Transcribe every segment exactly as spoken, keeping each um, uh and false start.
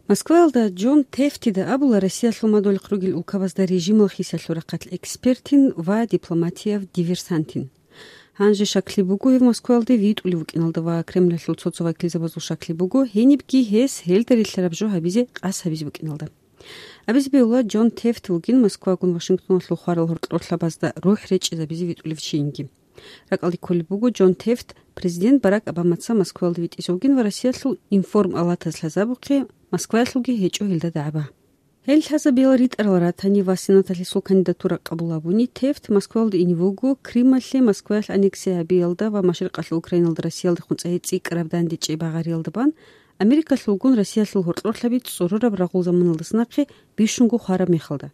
Москваялда Джон Тефтида абула Россиялъул мадугьалихъ ругел улкабазда режимал хисиялъул рахъалъ экспертин ва дипломатияв диверсантин. Гьанже щаклъи буго гьев Москваялде витӀулев вукӀиналда ва Кремлалъул цо-цо вакилзабазул щаклъи буго гьенибги гьес гьелда релълъараб жо гьабизе къасд гьабизе букӀиналда. Абизе бегьула, Джон Тефт вугин Москвагун Вашингтоналъул хварал гьоркьорлъабазда рухӀ речӀчӀизабизе витӀулев чийинги. РакӀалде кколеб буго, Джон Тефт президент Барак Обамаца Москваялде витӀизе вугин ва Россиялъул информалатаз лъазабухъе Москваялъулги гьечӀо гьелда дагӀба. Гьел лъазабиял ритӀарал ратани ва Сенаталъ гьесул кандидатура къабул гьабуни, Тефт Москваялде ине вуго Крымалъе Москваялъ аннексия гьабиялда ва Машрикъалъул Украиналда Россиялдехун цӀайи цӀикӀкӀараб дандечӀей багъариялда бан, Америкалъулгун Россиялъул гьоркьорлъаби цӀорораб рагъул заманалдаса нахъе бищунго хвараб мехалда.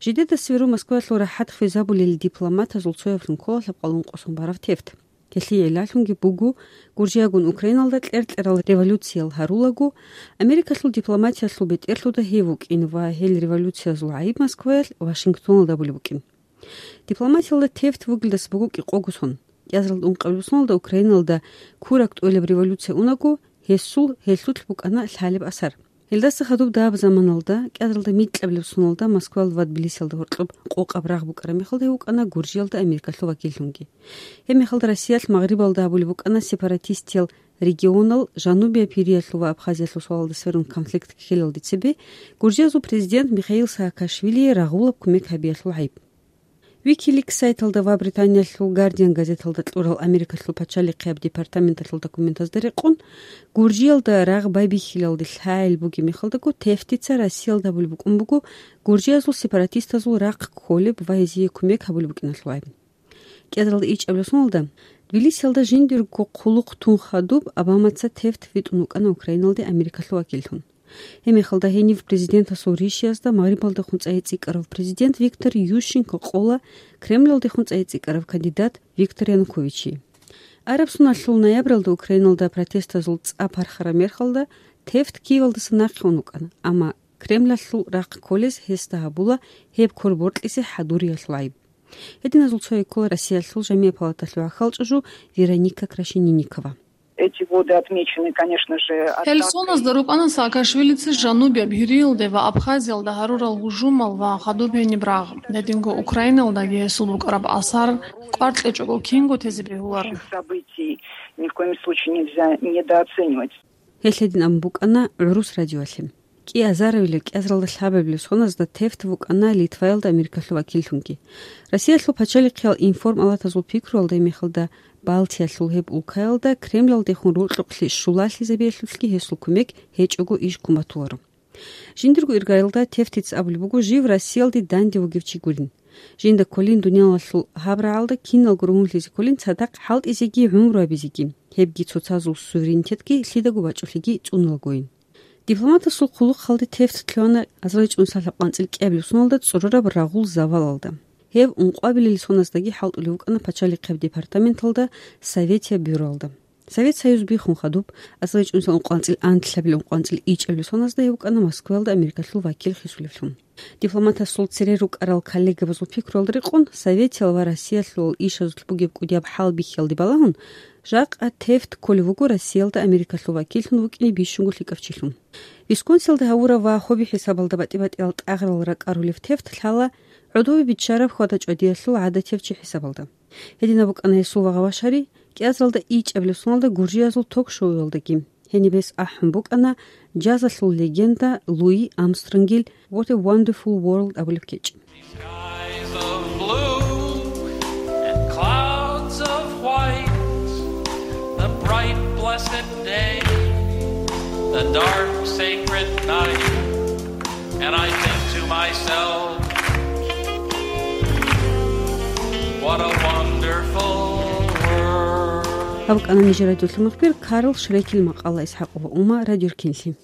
Жидедаса гьеру Москваялъул рахӀат хвезабулел дипломатазул цояблъун ккола лъабкъалъун къосун барав Тефт. Гьелъие гӀиллалъунги буго, Гуржиягун Украиналда кьер-кьерал революциял гьарулаго, Америкалъул дипломатиялъул бетӀерлъуда гьев вукӀин ва гьел революциязул гӀайиб Москваялъ Вашингтоналда абулеб букӀин. Дипломатиялда Тефт вугелдаса буго кӀикъого сон. КӀиазаралда ункъабилеб соналда Украиналда курак тӀолеб революция унаго, гьесул гьелъулъ букӀана лъалеб асар. Гьелдаса хадуб дагьаб заманалда, кӀиазаралда микьабилеб соналда Москваялда ва Тбилисиялда гьоркьоб къокъаб рагъ букӀараб мехалда гьев вукӀана Гуржиялда Америкалъул вакиллъунги. Гьеб мехалда Россиялъ Магърибалда гьабулеб букӀана сепаратистиял регионал, Жанубияб Гьириялъул ва Абхазиялъул суалалда сверун конфликт ккелалде цебе, гуржиязул президент Михаил Саакашвилие рагъулаб кумек гьабиялъул гӀайиб. Wikileaks сайталда ва Британиялъул Guardian газеталда кьурал Америкалъул пачалихъияб департаменталъул документазда рекъон, Гуржиялда рагъ байбихьилалде лъагӀел бугеб мехалдаго Тефтица Россиялда гьабулеб букӀун буго гуржиязул сепаратистазул рахъ кколеб ва гьезие кумек гьабулеб букӀиналъул гӀайиб. КӀиазаралда ичӀабилеб соналда, Тбилисиялда жиндирго хъулухъ тун хадуб Обамаца Тефт витӀун вукӀана Украиналде Америкалъул вакиллъун. Гьеб мехалда гьенив президентасул ришиязда Магърибалдехун цӀайи цӀикӀкӀарав президент Виктор Ющенко къола Кремлалдехун цӀайи цӀикӀкӀарав кандидат Виктор Януковичие. Араб соналъул ноябралда Украиналда протестазул цӀа пархараб мехалда Тефт Киевалдаса нахъе ун вукӀана, амма Кремлалъул рахъ кколез гьесда гьабула гьеб кор бокьизе хӀадуриялъул гӀайиб. Гьединазул цояй ккола Россиялъул жамигӀ палаталъул гӀахьалчӀажу Вероника Крашенинникова. Эти годы отмечены, конечно же, Гьел соназда рукӀана Саакашвилица Жанубияб Гьириялде ва Абхазиялда гьарурал гьужумал ва хадуб гьениб рагъ. Гьединго Украиналдаги гьесул букӀараб асар кӀвар кьечӀого кинго тезе бегьуларо. Событий ни в коем случае нельзя недооценивать. Гьелъ гьедин абун букӀана гӀурус радиоялъе. КӀиазаравилеб, кӀиазаралда лъабабилеб соназда Тефт вукӀана Литваялда Америкалъул вакиллъунги. Россиялъул пачалихъиял информалатазул пикруялда гьеб мехалда Балтиялъул гьеб улкаялда Кремлалдехун рокьукълъи щулалъизабиялъулъги гьесул кумек гьечӀого иш ккун батуларо. Жиндирго иргаялда Тефтица абулеб буго жив Россиялде данде вугев чи гурин. Жинда кколин дуниялалъул гьаб рагӀалда киналго ругьунлъизе кколин цадахъ хӀалтӀизеги гӀумру гьабизеги, гьебги цоцазул суверенитетги лъидаго бачӀулъиги цӀунулагойин. Дипломатасул хъулухъалде Тефт лъугьана азарилчӀунсалъаб къванцӀил кӀиабилеб соналда цӀорораб рагъул завалалда. Гьев ункъабилел соназдаги хӀалтӀулев вукӀана пачалихъияб департаменталда, Советияб бюроялда. Совет Союз биххун хадуб, азарилчӀунсал ункъванцӀил анлъабил ункъванцӀил ичӀабилеб соназда гьев вукӀана Москваялда Америкалъул вакил хисулевлъун. Дипломатасул цере рукӀарал коллегабазул пикруялда рекъон, Советиял ва Россиялъул ишазулъ бугеб кӀудияб хӀал бихьиялде балагьун, жакъа Тефт кколев вуго Россиялда Америкалъул вакиллъун вукӀине бищунго лъикӀав чилъун. Висконсиналда гьавурав ва хобби хӀисабалда батӀи-батӀиял тӀагърал ракӀарулев Тефт лъала гӀодове биччараб хьвада-чӀвадиялъул гӀадатияв чи хӀисабалда. Гьединаб букӀана гьесул вагъа-вашари кӀиазаралда ичӀабилеб соналда гуржиязул ток-шоуялдаги. Гьениб гьес ахӀун букӀана джазалъул легенда Луи Армстронгил What a Wonderful World абулеб кечӀ. Skies of blue and clouds of white, the bright blessed day, the dark sacred night, and I think to myself, what a wonderful world. Гьаб букӀана нижер радиолъул мухбир Карл Шрекел макъала. ИсхӀакъова Ума, Радио Эркенлъи.